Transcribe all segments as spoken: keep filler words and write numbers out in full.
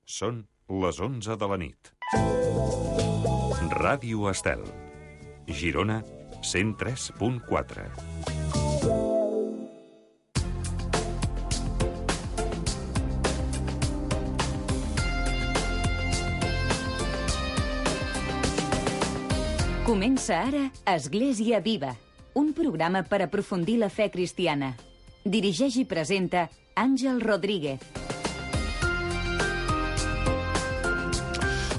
Són les onze de la nit. Ràdio Estel. Girona, cent tres punt quatre. Comença ara Església Viva, un programa per aprofundir la fe cristiana. Dirigeix i presenta Àngel Rodríguez.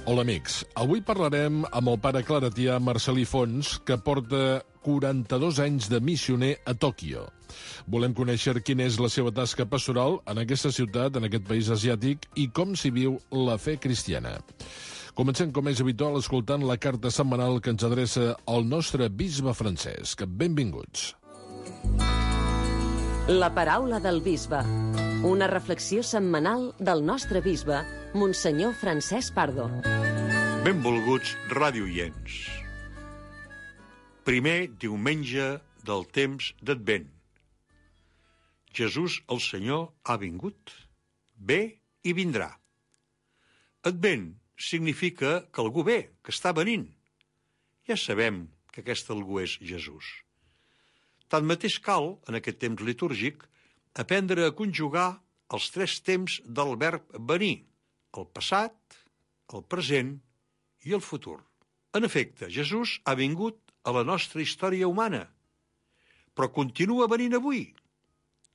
Hola, amics. Avui parlarem amb el pare claretià Marcel·lí Fons, que porta quaranta-dos anys de missioner a Tòquio. Volem conèixer quina és la seva tasca pastoral en aquesta ciutat, en aquest país asiàtic, i com s'hi viu la fe cristiana. Comencem, com és habitual, escoltant la carta setmanal que ens adreça el nostre bisbe Francesc. Benvinguts. La paraula del bisbe. Una reflexió setmanal del nostre bisbe, Monsenyor Francesc Pardo. Benvolguts radioients. Primer diumenge del temps d'Advent. Jesús el Senyor ha vingut, ve i vindrà. Advent significa que algú ve, que està venint. Ja sabem que aquest algú és Jesús. Tanmateix cal, en aquest temps litúrgic, aprendre a conjugar els tres temps del verb venir, el passat, el present i el futur. En efecte, Jesús ha vingut a la nostra història humana, però continua venint avui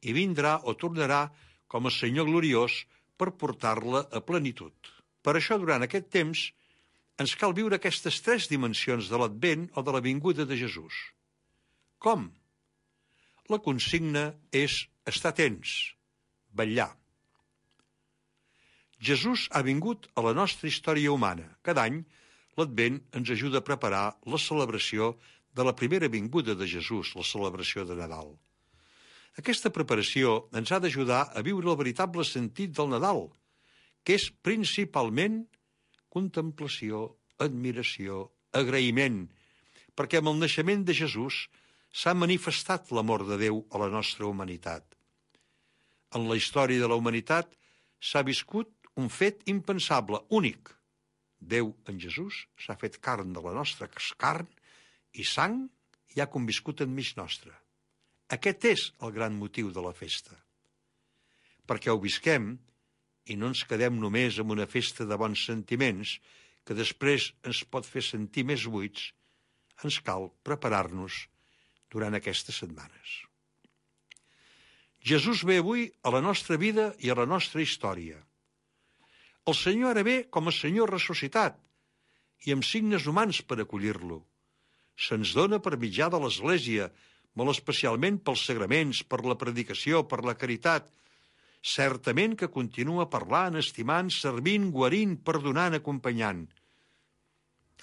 i vindrà o tornarà com a Senyor gloriós per portar-la a plenitud. Per això, durant aquest temps, ens cal viure aquestes tres dimensions de l'Advent o de la vinguda de Jesús. Com? La consigna és estar atents, vetllar. Jesús ha vingut a la nostra història humana. Cada any, l'Advent ens ajuda a preparar la celebració de la primera vinguda de Jesús, la celebració de Nadal. Aquesta preparació ens ha d'ajudar a viure el veritable sentit del Nadal, que és principalment contemplació, admiració, agraïment, perquè amb el naixement de Jesús s'ha manifestat l'amor de Déu a la nostra humanitat. En la història de la humanitat s'ha viscut un fet impensable, únic. Déu en Jesús s'ha fet carn de la nostra carn i sang i ha conviscut enmig nostre. Aquest és el gran motiu de la festa. Perquè ho visquem i no ens quedem només amb una festa de bons sentiments que després ens pot fer sentir més buits, ens cal preparar-nos durant aquestes setmanes. Jesús ve avui a la nostra vida i a la nostra història. El Senyor ara ve com a Senyor ressuscitat i amb signes humans per acollir-lo. Se'ns dona per mitjà de l'Església, molt especialment pels sagraments, per la predicació, per la caritat. Certament que continua parlant, estimant, servint, guarint, perdonant, acompanyant.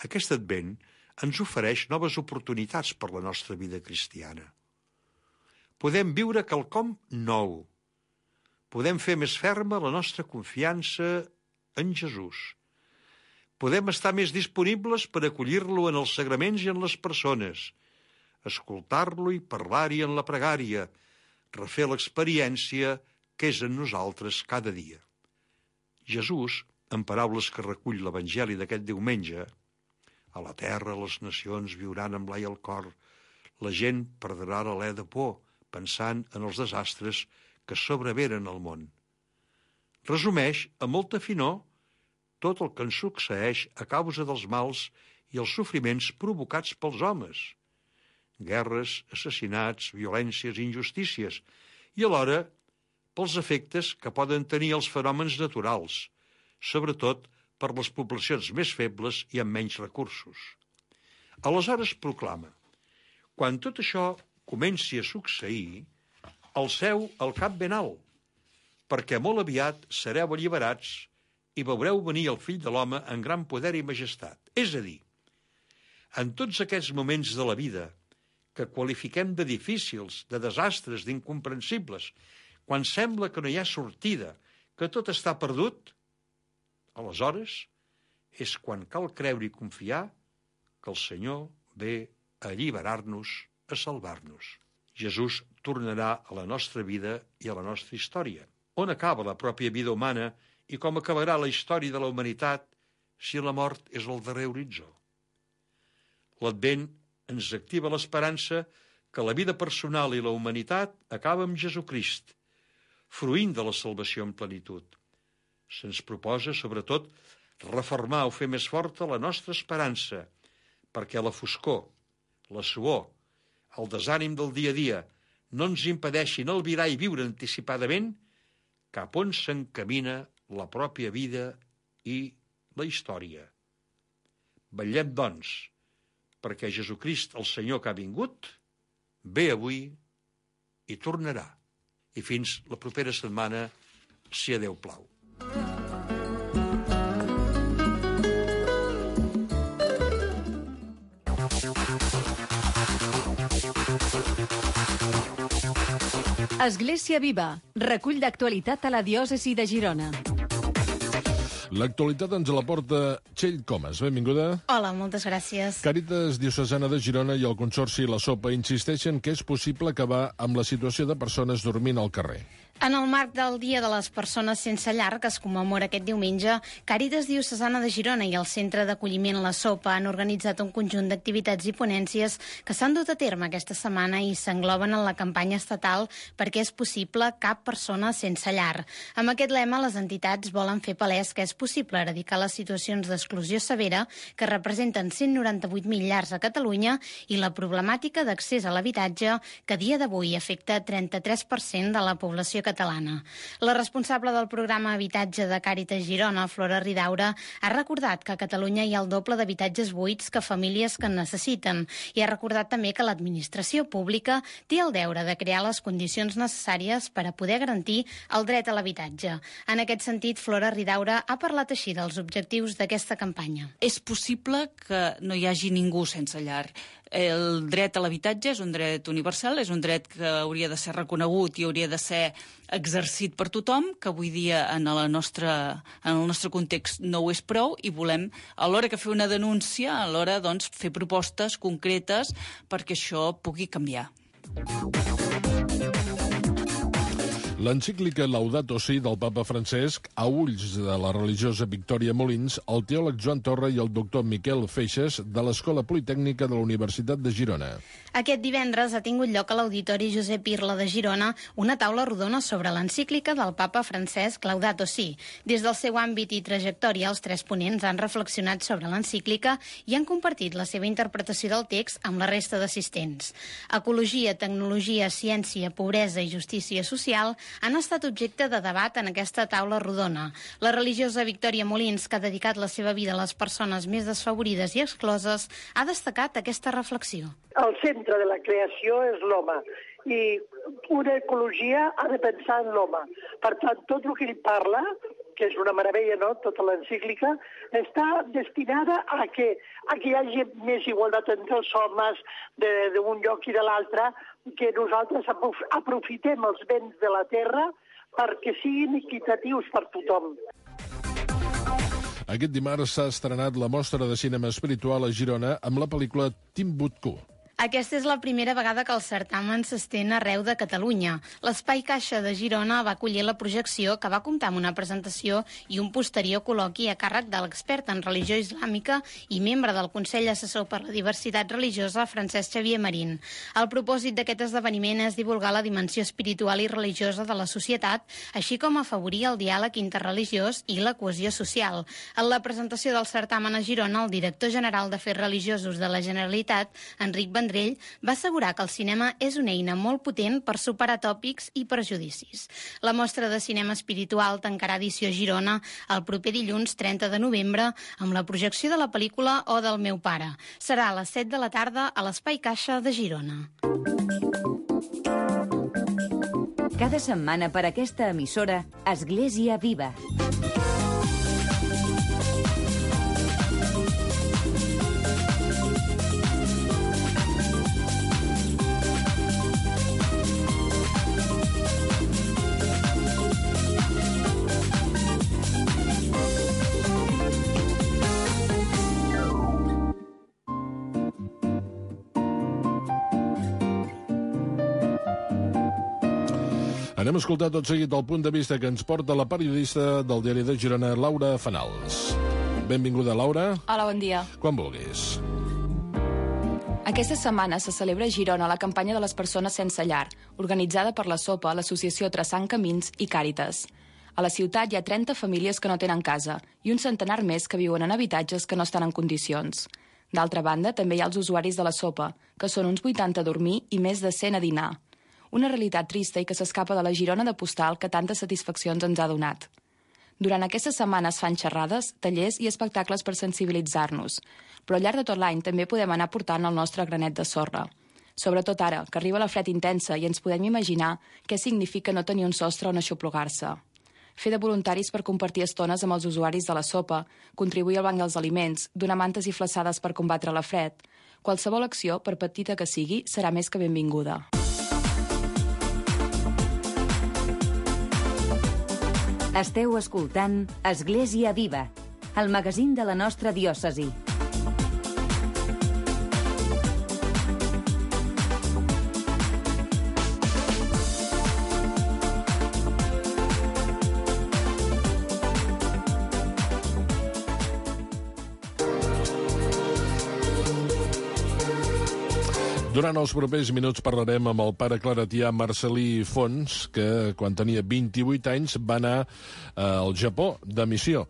Aquest Advent ens ofereix noves oportunitats per la nostra vida cristiana. Podem viure quelcom nou. Podem fer més ferma la nostra confiança en Jesús. Podem estar més disponibles per acollir-lo en els sagraments i en les persones, escoltar-lo i parlar-hi en la pregària, refer l'experiència que és en nosaltres cada dia. Jesús, en paraules que recull l'Evangeli d'aquest diumenge, a la terra les nacions viuran amb l'ai al cor, la gent perdrà l'alè de por, pensant en els desastres que sobrevenen al món. Resumeix, amb molta finor, tot el que ens succeeix a causa dels mals i els sofriments provocats pels homes. Guerres, assassinats, violències i injustícies, i alhora pels efectes que poden tenir els fenòmens naturals, sobretot per les poblacions més febles i amb menys recursos. Aleshores proclama: quan tot això comenci a succeir, alceu el cap ben alt, perquè molt aviat sereu alliberats i veureu venir el Fill de l'Home en gran poder i majestat. És a dir, en tots aquests moments de la vida que qualifiquem de difícils, de desastres, d'incomprensibles, quan sembla que no hi ha sortida, que tot està perdut, aleshores és quan cal creure i confiar que el Senyor ve a alliberar-nos, a salvar-nos. Jesús tornarà a la nostra vida i a la nostra història. On acaba la pròpia vida humana i com acabarà la història de la humanitat si la mort és el darrer horitzó. L'Advent ens activa l'esperança que la vida personal i la humanitat acaba amb Jesucrist, fruint de la salvació en plenitud. Se'ns proposa, sobretot, reformar o fer més forta la nostra esperança, perquè la foscor, la suor, el desànim del dia a dia no ens impedeixin albirar i viure anticipadament cap on s'encamina la pròpia vida i la història. Vetllem, doncs, perquè Jesucrist, el Senyor que ha vingut, ve avui i tornarà. I fins la propera setmana, si a Déu plau. Església Viva, recull d'actualitat a la diòcesi de Girona. L'actualitat ens la porta Txell Comas. Benvinguda. Hola, moltes gràcies. Càritas Diocesana de Girona i el Consorci La Sopa insisteixen que és possible acabar amb la situació de persones dormint al carrer. En el marc del Dia de les Persones Sense Llar, que es commemora aquest diumenge, Càritas Diocesana de Girona i el Centre d'Acolliment La Sopa han organitzat un conjunt d'activitats i ponències que s'han dut a terme aquesta setmana i s'engloben en la campanya estatal perquè és possible cap persona sense llar. Amb aquest lema, les entitats volen fer palès que és possible eradicar les situacions d'exclusió severa que representen cent noranta-vuit mil llars a Catalunya i la problemàtica d'accés a l'habitatge que a dia d'avui afecta trenta-tres per cent de la població catalana. La responsable del programa Habitatge de Càritas Girona, Flora Ridaura, ha recordat que a Catalunya hi ha el doble d'habitatges buits que famílies que en necessiten i ha recordat també que l'administració pública té el deure de crear les condicions necessàries per a poder garantir el dret a l'habitatge. En aquest sentit, Flora Ridaura ha parlat així dels objectius d'aquesta campanya. És possible que no hi hagi ningú sense llar. El dret a l'habitatge és un dret universal, és un dret que hauria de ser reconegut i hauria de ser exercit per tothom, que avui dia en, la nostra, en el nostre context no ho és prou i volem, alhora que fer una denúncia, alhora doncs, fer propostes concretes perquè això pugui canviar. L'encíclica Laudato Si del papa Francesc, a ulls de la religiosa Victòria Molins, el teòleg Joan Torra i el doctor Miquel Feixes de l'Escola Politècnica de la Universitat de Girona. Aquest divendres ha tingut lloc a l'Auditori Josep Irla de Girona una taula rodona sobre l'encíclica del papa Francesc Laudato Si. Des del seu àmbit i trajectòria, els tres ponents han reflexionat sobre l'encíclica i han compartit la seva interpretació del text amb la resta d'assistents. Ecologia, tecnologia, ciència, pobresa i justícia social han estat objecte de debat en aquesta taula rodona. La religiosa Victòria Molins, que ha dedicat la seva vida a les persones més desfavorides i excloses, ha destacat aquesta reflexió. El centre de la creació és l'home i una ecologia ha de pensar en l'home. Per tant, tot el que ell parla, que és una meravella, no?, tota l'encíclica, està destinada a que, a que hi hagi més igualtat entre els homes d'un lloc i de l'altre, que nosaltres aprofitem els béns de la terra perquè siguin equitatius per tothom. Aquest dimarts s'ha estrenat la mostra de cinema espiritual a Girona amb la pel·lícula Timbuktu. Aquesta és la primera vegada que el certamen s'estén arreu de Catalunya. L'Espai Caixa de Girona va acollir la projecció, que va comptar amb una presentació i un posterior col·loqui a càrrec de l'expert en religió islàmica i membre del Consell Assessor per la Diversitat Religiosa, Francesc Xavier Marín. El propòsit d'aquest esdeveniment és divulgar la dimensió espiritual i religiosa de la societat, així com afavorir el diàleg interreligiós i la cohesió social. En la presentació del certamen a Girona, el director general d'Afers Religiosos de la Generalitat, Enric Vendrell, va assegurar que el cinema és una eina molt potent per superar tòpics i prejudicis. La mostra de cinema espiritual tancarà edició a Girona el proper dilluns trenta de novembre amb la projecció de la pel·lícula O del meu pare. Serà a les set de la tarda a l'Espai Caixa de Girona. Cada setmana per aquesta emissora, Església Viva. Anem a escoltar tot seguit el punt de vista que ens porta la periodista del diari de Girona, Laura Fanals. Benvinguda, Laura. Hola, bon dia. Quan vulguis. Aquesta setmana se celebra a Girona la campanya de les persones sense llar, organitzada per la SOPA, l'Associació Traçant Camins i Càritas. A la ciutat hi ha trenta famílies que no tenen casa i un centenar més que viuen en habitatges que no estan en condicions. D'altra banda, també hi ha els usuaris de la SOPA, que són uns vuitanta a dormir i més de cent a dinar. Una realitat trista i que s'escapa de la Girona de postal que tantes satisfaccions ens ha donat. Durant aquestes setmanes fan xerrades, tallers i espectacles per sensibilitzar-nos, però al llarg de tot l'any també podem anar portant el nostre granet de sorra. Sobretot ara, que arriba la fred intensa i ens podem imaginar què significa no tenir un sostre on aixoplugar-se. Fer de voluntaris per compartir estones amb els usuaris de la SOPA, contribuir al banc dels aliments, donar mantes i flaçades per combatre la fred. Qualsevol acció, per petita que sigui, serà més que benvinguda. Esteu escoltant Església Viva, el magazín de la nostra diòcesi. Durant els propers minuts parlarem amb el pare claretià Marcel·lí Fons, que quan tenia vint-i-vuit anys va anar eh, al Japó de missió.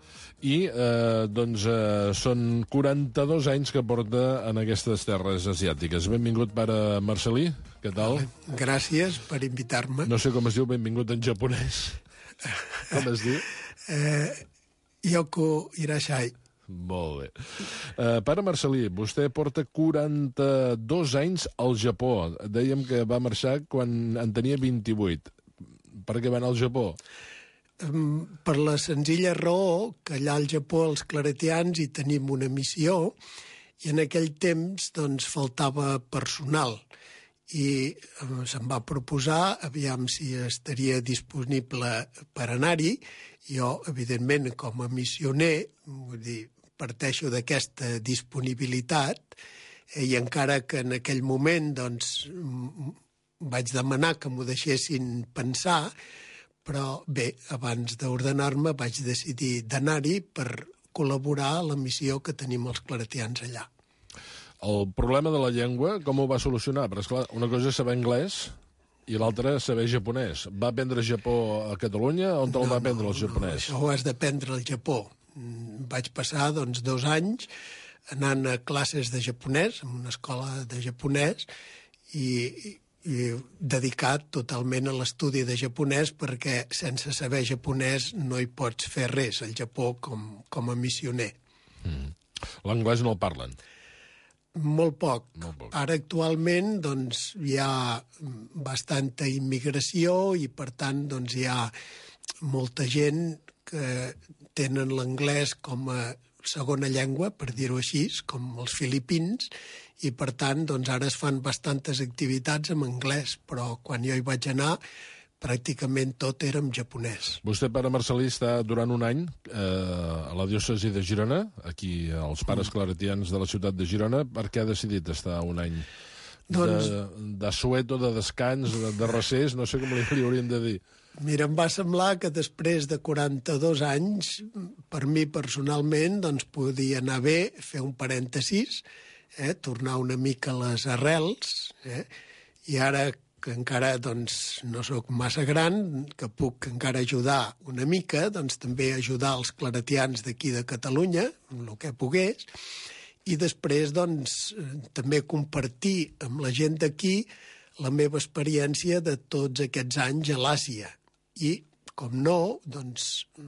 I eh, doncs eh, són quaranta-dos anys que porta en aquestes terres asiàtiques. Benvingut, pare Marcel·lí, què tal? Gràcies per invitar-me. No sé com es diu benvingut en japonès. Com es diu? Eh, Yoko Irashai. Molt bé. Uh, pare Marcel·lí, vostè porta quaranta-dos anys al Japó. Dèiem que va marxar quan en tenia vint-i-vuit. Per què va anar al Japó? Um, per la senzilla raó que allà al Japó els claretians hi tenim una missió i en aquell temps doncs, faltava personal. I um, se'm va proposar, aviam si estaria disponible per anar-hi. Jo, evidentment, com a missioner, vull dir, parteixo d'aquesta disponibilitat eh, i encara que en aquell moment doncs, vaig demanar que m'ho deixessin pensar, però bé, abans d'ordenar-me vaig decidir d'anar-hi per col·laborar a la missió que tenim els claretians allà. El problema de la llengua, com ho va solucionar? Però, esclar, una cosa és saber anglès i l'altra saber japonès. Va aprendre japó a Catalunya? On te'l no, va aprendre el japonès? No, això ho has d'aprendre al Japó. Vaig passar doncs, dos anys anant a classes de japonès, en una escola de japonès, i, i dedicat totalment a l'estudi de japonès perquè sense saber japonès no hi pots fer res al Japó com, com a missioner. Mm. L'anglès no el parlen? Molt poc. Molt poc. Ara actualment doncs, hi ha bastanta immigració i per tant doncs, hi ha molta gent que tenen l'anglès com a segona llengua, per dir-ho així, com els filipins, i per tant doncs, ara es fan bastantes activitats en anglès, però quan jo hi vaig anar pràcticament tot era en japonès. Vostè, pare Marcel·lí, està durant un any eh, a la diòcesi de Girona, aquí als pares claretians de la ciutat de Girona. Per què ha decidit estar un any doncs... de, de sueto, de descans, de, de recés? No sé com li, li hauríem de dir. Mira, em va semblar que després de quaranta-dos anys, per mi personalment, doncs podia anar bé fer un parèntesis, eh, tornar una mica a les arrels, eh, i ara que encara doncs, no sóc massa gran, que puc encara ajudar una mica, doncs també ajudar els claretians d'aquí de Catalunya, amb el que pogués, i després doncs, també compartir amb la gent d'aquí la meva experiència de tots aquests anys a l'Àsia. I, com no, doncs,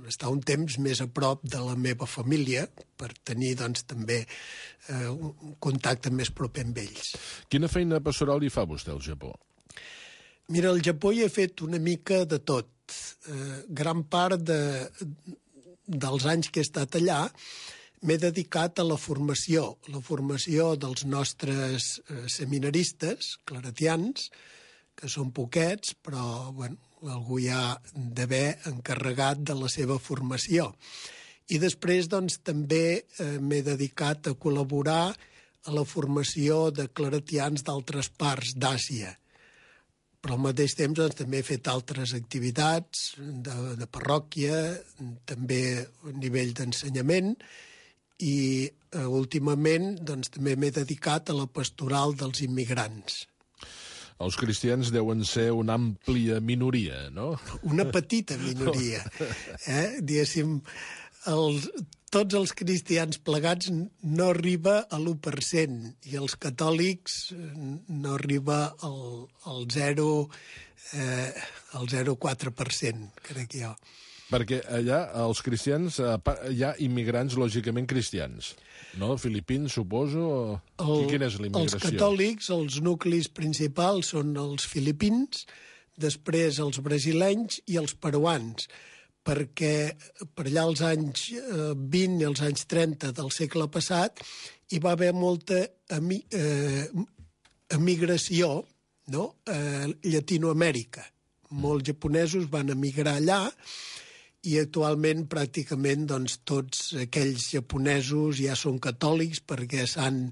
estar un temps més a prop de la meva família per tenir doncs, també eh, un contacte més proper amb ells. Quina feina pastoral hi fa vostè al Japó? Mira, al Japó hi he fet una mica de tot. Eh, gran part de, dels anys que he estat allà m'he dedicat a la formació, la formació dels nostres eh, seminaristes claretians, que són poquets, però bueno, algú hi ha d'haver encarregat de la seva formació. I després doncs, també eh, m'he dedicat a col·laborar a la formació de claretians d'altres parts d'Àsia. però al mateix temps doncs, també he fet altres activitats de, de parròquia, també a nivell d'ensenyament, i eh, últimament doncs, també m'he dedicat a la pastoral dels immigrants. Els cristians deuen ser una àmplia minoria, no? Una petita minoria. Eh? Diguéssim, els, tots els cristians plegats no arriba a l'u per cent i els catòlics no arriba al, al zero, eh, al zero coma quatre per cent, crec jo. Perquè allà, els cristians, hi ha immigrants lògicament cristians, no? Filipins, suposo? El, Quina és la immigració? Els catòlics, els nuclis principals són els filipins, després els brasilenys i els peruans, perquè per allà als anys vint i els anys trenta del segle passat hi va haver molta emi, eh, emigració, no? a Llatinoamèrica. Molts japonesos van emigrar allà i actualment pràcticament doncs, tots aquells japonesos ja són catòlics perquè s'han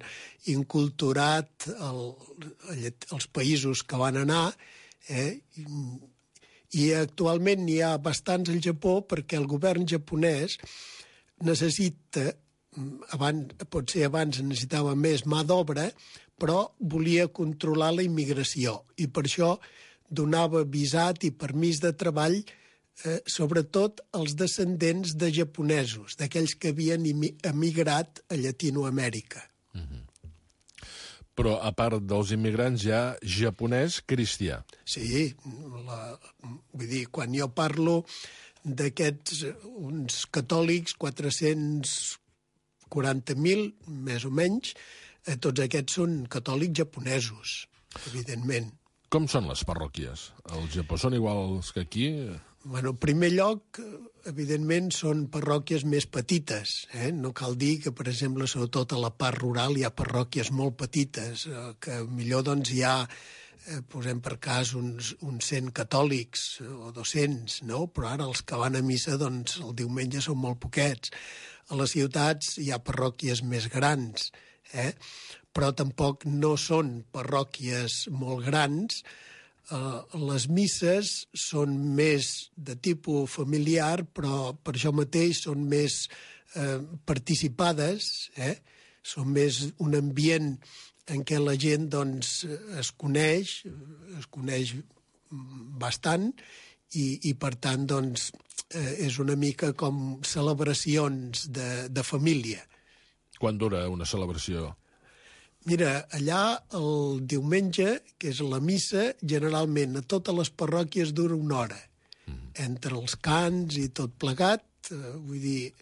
inculturat el, els països que van anar, eh? I, i actualment n'hi ha bastants al Japó perquè el govern japonès necessita, abans, potser abans necessitava més mà d'obra, però volia controlar la immigració i per això donava visat i permís de treball eh, sobretot als descendents de japonesos, d'aquells que havien emigrat a Llatinoamèrica. Mm-hmm. Però, a part dels immigrants, hi ha japonès cristià. Sí, la, vull dir, quan jo parlo d'aquests uns catòlics, quatre-cents quaranta mil, més o menys, eh, tots aquests són catòlics japonesos, evidentment. Com són les parròquies? Al Japó són iguals que aquí? Bueno, en primer lloc, evidentment, són parròquies més petites. Eh? No cal dir que, per exemple, sobretot a la part rural hi ha parròquies molt petites, eh, que millor doncs, hi ha, eh, posem per cas, uns, uns cent catòlics o dos-cents, no? Però ara els que van a missa doncs, el diumenge són molt poquets. A les ciutats hi ha parròquies més grans, eh? Però tampoc no són parròquies molt grans. Uh, les misses són més de tipus familiar, però per això mateix són més uh, participades, eh? Són més un ambient en què la gent doncs, es coneix, es coneix bastant, i, i per tant doncs, uh, és una mica com celebracions de, de família. Quan dura una celebració? Mira, allà el diumenge, que és la missa, generalment a totes les parròquies dura una hora. Mm. Entre els cants i tot plegat, eh, vull dir,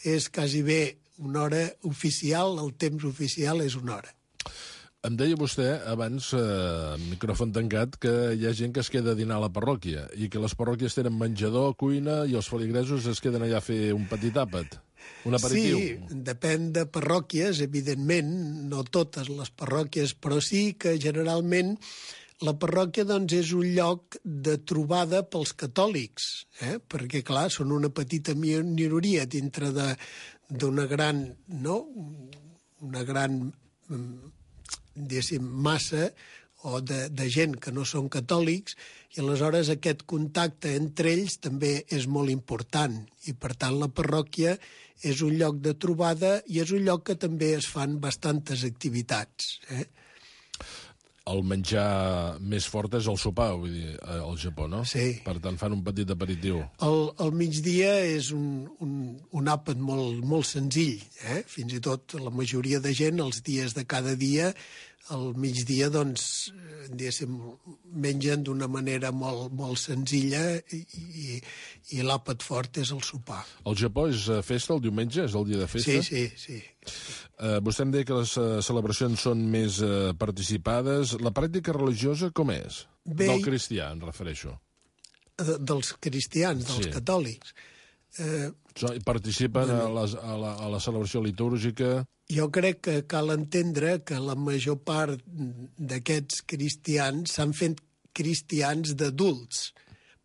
és quasi bé una hora oficial, el temps oficial és una hora. Em deia vostè, abans, eh, micròfon tancat, que hi ha gent que es queda a dinar a la parròquia i que les parròquies tenen menjador, cuina i els feligresos es queden allà a fer un petit àpat. Un aperitiu. Sí, depèn de parròquies, evidentment, no totes les parròquies, però sí que generalment la parròquia doncs, és un lloc de trobada pels catòlics, eh? Perquè, clar, són una petita minoria dintre de, d'una gran, no? una gran, diguéssim, massa o de, de gent que no són catòlics, i aleshores aquest contacte entre ells també és molt important, i per tant la parròquia és un lloc de trobada i és un lloc que també es fan bastantes activitats. Eh? El menjar més fort és el sopar, vull dir, al Japó, no? Sí. Per tant, fan un petit aperitiu. El, el migdia és un, un, un àpat molt, molt senzill, eh? Fins i tot la majoria de gent, els dies de cada dia, al migdia, doncs, diguéssim, mengen d'una manera molt, molt senzilla i, i, i l'àpat fort és el sopar. El Japó és festa el diumenge? És el dia de festa? Sí, sí, sí. Uh, vostè em deia que les uh, celebracions són més uh, participades. La pràctica religiosa com és? Bé, del cristià, em refereixo. De, dels cristians, dels sí. catòlics. Eh, participen bueno, a, les, a, la, a la celebració litúrgica? Jo crec que cal entendre que la major part d'aquests cristians s'han fet cristians d'adults.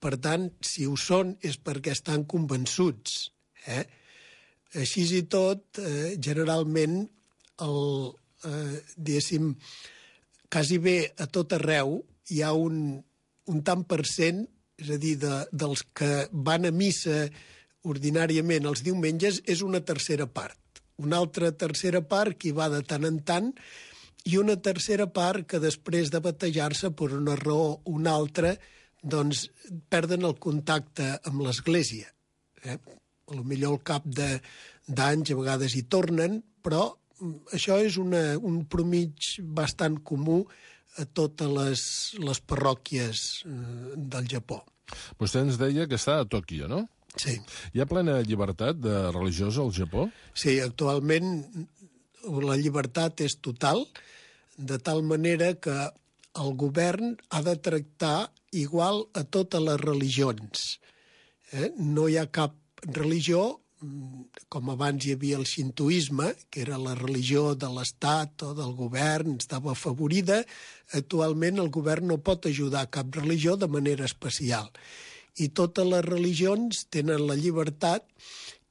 Per tant, si ho són és perquè estan convençuts. Eh? Així i tot, eh, generalment, el, eh, diguéssim, quasi bé a tot arreu hi ha un, un tant per cent, és a dir, de, dels que van a missa ordinàriament els diumenges, és una tercera part. Una altra tercera part que hi va de tant en tant, i una tercera part que després de batejar-se per una raó o una altra, doncs perden el contacte amb l'Església. Eh? Potser al cap d'anys a vegades hi tornen, però això és una, un promig bastant comú a totes les, les parròquies eh, del Japó. Vostè ens deia que està a Tòquio, no? Sí. Hi ha plena llibertat de religiosa al Japó? Sí, actualment la llibertat és total, de tal manera que el govern ha de tractar igual a totes les religions. Eh? No hi ha cap religió, com abans hi havia el xintoisme, que era la religió de l'Estat o del govern, estava afavorida. Actualment el govern no pot ajudar cap religió de manera especial. I totes les religions tenen la llibertat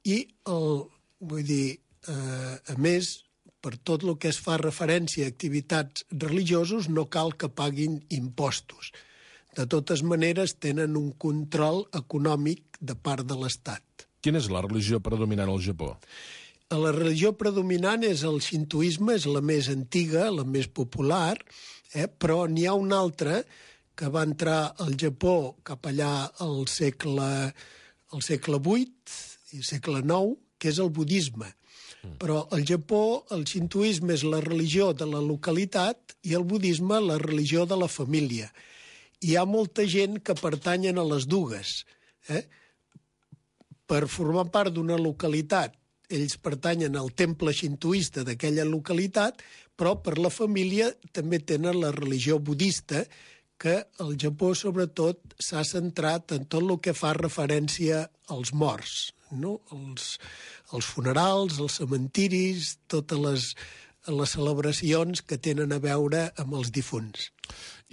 i, el, vull dir, eh, a més, per tot el que es fa referència a activitats religiosos, no cal que paguin impostos. De totes maneres, tenen un control econòmic de part de l'Estat. Quina és la religió predominant al Japó? La religió predominant és el xintoisme, és la més antiga, la més popular, eh? Però n'hi ha una altra que va entrar al Japó cap allà al segle, al segle vuit i segle nou, que és el budisme. Mm. Però al Japó el xintoisme és la religió de la localitat i el budisme la religió de la família. Hi ha molta gent que pertanyen a les dues, eh? Per formar part d'una localitat, ells pertanyen al temple xintoista d'aquella localitat, però per la família també tenen la religió budista, que al Japó, sobretot, s'ha centrat en tot el que fa referència als morts, no? Els, els funerals, els cementiris, totes les, les celebracions que tenen a veure amb els difunts.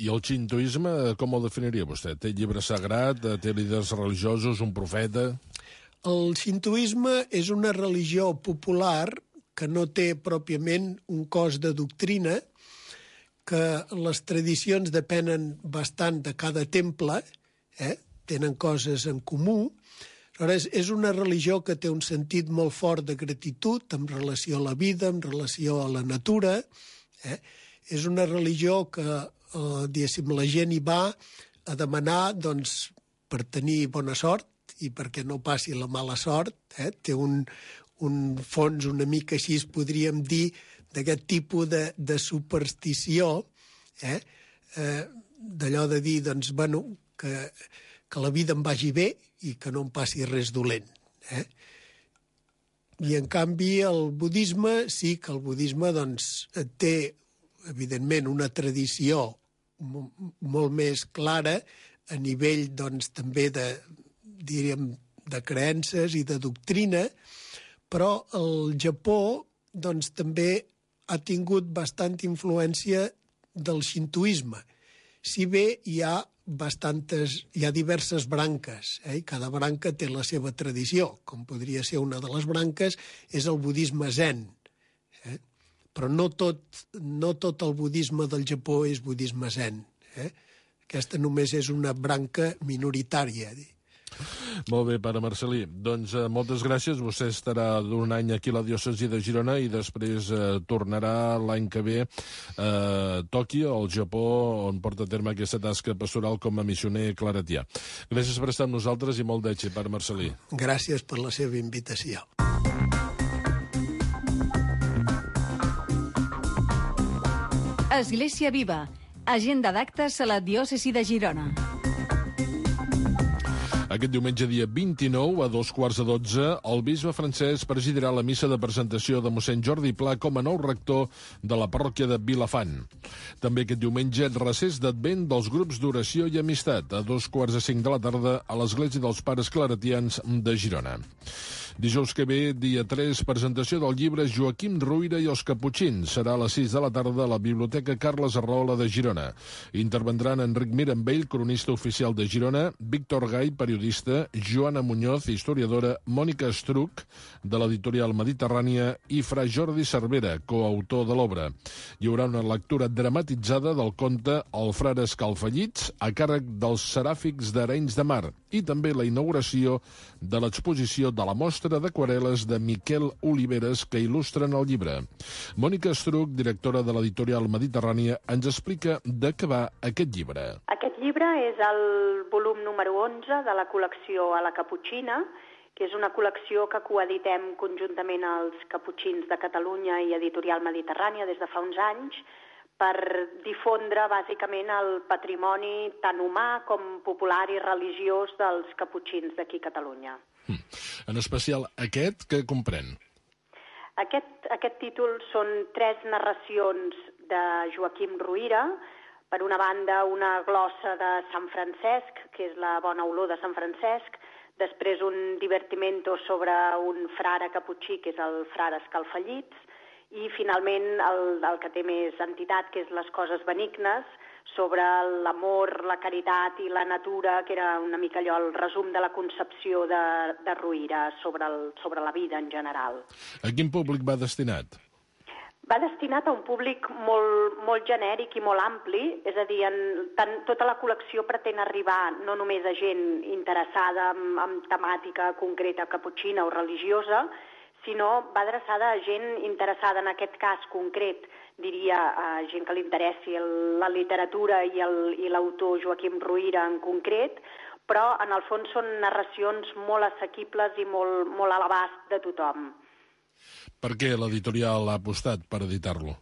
I el xintoisme, com el definiria vostè? Té llibre sagrat, té líders religiosos, un profeta? El xintoisme és una religió popular que no té pròpiament un cos de doctrina, que les tradicions depenen bastant de cada temple, eh? Tenen coses en comú. Aleshores, és una religió que té un sentit molt fort de gratitud en relació a la vida, en relació a la natura. Eh? És una religió que, eh, diguéssim, la gent hi va a demanar, doncs, per tenir bona sort, i perquè no passi la mala sort, eh? Té un, un fons una mica així, podríem dir, d'aquest tipus de, de superstició, eh? Eh, d'allò de dir, doncs, bueno, que, que la vida em vagi bé i que no em passi res dolent. Eh? I, en canvi, el budisme, sí que el budisme, doncs, té, evidentment, una tradició molt més clara a nivell, doncs, també de diríem, de creences i de doctrina, però el Japó doncs, també ha tingut bastanta influència del xintoisme. Si bé hi ha bastantes, hi ha diverses branques, eh? I cada branca té la seva tradició, com podria ser una de les branques, és el budisme zen. Eh? Però no tot, no tot el budisme del Japó és budisme zen. Eh? Aquesta només és una branca minoritària, dir. Molt bé, pare Marcelí. Doncs eh, moltes gràcies. Vostè estarà d'un any aquí a la diòcesi de Girona i després eh, tornarà l'any que ve a Tòquio, al Japó, on porta a terme aquesta tasca pastoral com a missioner claretià. Gràcies per estar amb nosaltres i molt d'èxit, pare Marcelí. Gràcies per la seva invitació. Església Viva. Agenda d'actes a la diòcesi de Girona. Aquest diumenge, dia vint-i-nou, a dos quarts de dotze, el bisbe Francesc presidirà la missa de presentació de mossèn Jordi Pla com a nou rector de la parròquia de Vilafant. També aquest diumenge, recés d'Advent dels grups d'oració i amistat, a dos quarts de cinc de la tarda, a l'Església dels Pares Claretians de Girona. Dijous que ve, dia tres, presentació del llibre Joaquim Ruyra i els Caputxins. Serà a les sis de la tarda a la Biblioteca Carles Arrahola de Girona. Intervendran Enric Mirambell, cronista oficial de Girona, Víctor Gai, periodista, Joana Muñoz, historiadora, Mònica Estruc, de l'editorial Mediterrània, i Fra Jordi Cervera, coautor de l'obra. Hi haurà una lectura dramatitzada del conte El frare Escalfallits, a càrrec dels seràfics d'Arenys de Mar, i també la inauguració de l'exposició de la mostra d'aquarel·les de Miquel Oliveres que il·lustren el llibre. Mònica Estruc, directora de l'editorial Mediterrània, ens explica de què va aquest llibre. Aquest llibre és el volum número onze de la col·lecció A la Caputxina, que és una col·lecció que coeditem conjuntament als Caputxins de Catalunya i Editorial Mediterrània des de fa uns anys, per difondre bàsicament el patrimoni tant humà com popular i religiós dels caputxins d'aquí a Catalunya. Mm. En especial aquest, que comprèn? Aquest, aquest títol són tres narracions de Joaquim Ruyra. Per una banda, una glossa de Sant Francesc, que és la bona olor de Sant Francesc, després un divertimento sobre un frare caputxí, que és el frare Escalfallits, i finalment el, el que té més entitat, que és les coses benignes, sobre l'amor, la caritat i la natura, que era una mica allò el resum de la concepció de, de Ruyra sobre, el, sobre la vida en general. A quin públic va destinat? Va destinat a un públic molt, molt genèric i molt ampli, és a dir, en, tant, tota la col·lecció pretén arribar no només a gent interessada en, en temàtica concreta caputxina o religiosa, sinó va adreçada a gent interessada, en aquest cas concret, diria, a gent que li interessi la literatura i l'autor Joaquim Ruyra en concret, però en el fons són narracions molt assequibles i molt, molt a l'abast de tothom. Per què l'editorial ha apostat per editar-lo?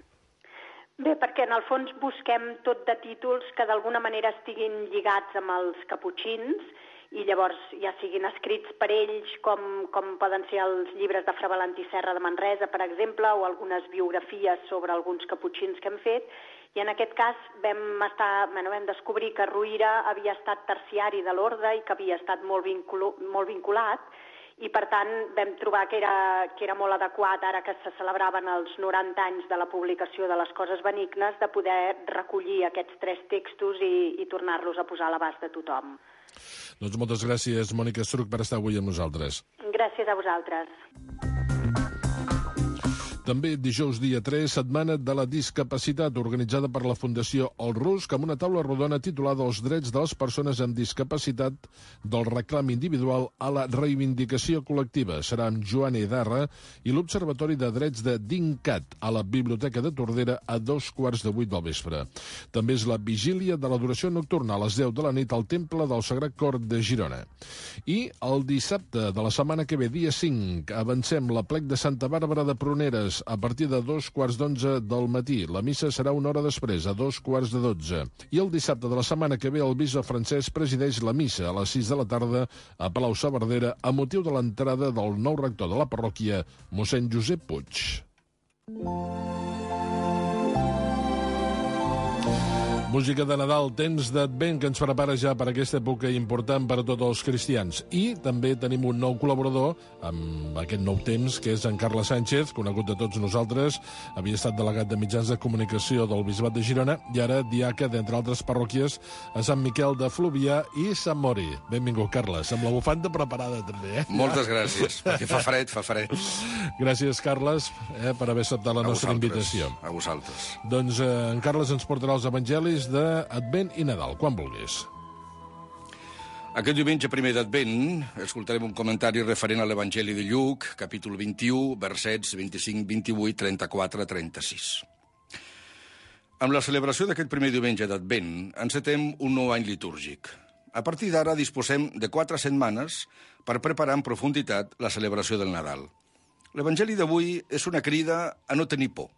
Bé, perquè en el fons busquem tot de títols que d'alguna manera estiguin lligats amb els caputxins i llavors ja siguin escrits per ells, com, com poden ser els llibres de Fra Valentí Serra de Manresa, per exemple, o algunes biografies sobre alguns caputxins que hem fet, i en aquest cas vam, estar, bueno, vam descobrir que Ruyra havia estat terciari de l'orde i que havia estat molt, vincul molt vinculat, i per tant vam trobar que era, que era molt adequat, ara que se celebraven els noranta anys de la publicació de les coses benignes, de poder recollir aquests tres textos i, i tornar-los a posar a l'abast de tothom. Doncs moltes gràcies, Mònica Estruc, per estar avui amb nosaltres. Gràcies a vosaltres. També dijous dia tres, Setmana de la Discapacitat, organitzada per la Fundació El Rusc, amb una taula rodona titulada Els drets de les persones amb discapacitat, del reclam individual a la reivindicació col·lectiva. Serà amb Joan Edarra i l'Observatori de Drets de DINCAT a la Biblioteca de Tordera a dos quarts de vuit del vespre. També és la vigília de l'adoració nocturna a les deu de la nit al Temple del Sagrat Cor de Girona. I el dissabte de la setmana que ve, dia cinc, avancem la plec de Santa Bàrbara de Pruneres a partir de dos quarts d'onze del matí. La missa serà una hora després, a dos quarts de dotze. I el dissabte de la setmana que ve el bisbe Francesc presideix la missa a les sis de la tarda a Palau-saverdera a motiu de l'entrada del nou rector de la parròquia, mossèn Josep Puig. Música de Nadal, temps d'Advent que ens prepara ja per aquesta època important per a tots els cristians. I també tenim un nou col·laborador amb aquest nou temps, que és en Carles Sánchez, conegut de tots nosaltres. Havia estat delegat de mitjans de comunicació del Bisbat de Girona i ara diaca, d'entre altres parròquies, a Sant Miquel de Fluvià i Sant Mori. Benvingut, Carles, amb la bufanda preparada també. Eh? Moltes gràcies, perquè fa fred, fa fred. Gràcies, Carles, eh, per haver acceptat la a nostra invitació. A vosaltres. Doncs eh, en Carles ens portarà els evangelis d'Advent i Nadal, quan vulguis. Aquest diumenge primer d'Advent escoltarem un comentari referent a l'Evangeli de Lluc, capítol vint-i-u, versets vint-i-cinc, vint-i-vuit, trenta-quatre, trenta-sis. Amb la celebració d'aquest primer diumenge d'Advent encetem un nou any litúrgic. A partir d'ara disposem de quatre setmanes per preparar en profunditat la celebració del Nadal. L'Evangeli d'avui és una crida a no tenir por.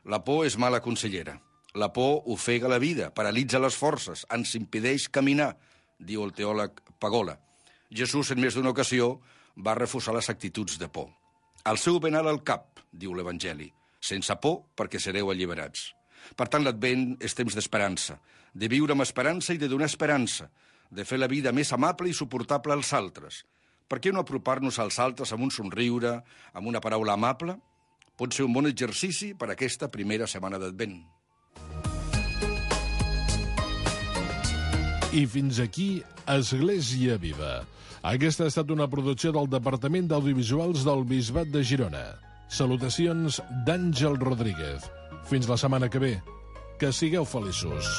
La por és mala consellera. La por ofega la vida, paralitza les forces, ens impedeix caminar, diu el teòleg Pagola. Jesús, en més d'una ocasió, va refusar les actituds de por. Al seu benal al cap, diu l'Evangeli, sense por perquè sereu alliberats. Per tant, l'Advent és temps d'esperança, de viure amb esperança i de donar esperança, de fer la vida més amable i suportable als altres, Per què no apropar-nos als altres amb un somriure, amb una paraula amable? Pot ser un bon exercici per a aquesta primera setmana d'Advent. I fins aquí Església Viva. Aquesta ha estat una producció del Departament d'Audiovisuals del Bisbat de Girona. Salutacions d'Àngel Rodríguez. Fins la setmana que ve. Que sigueu feliços.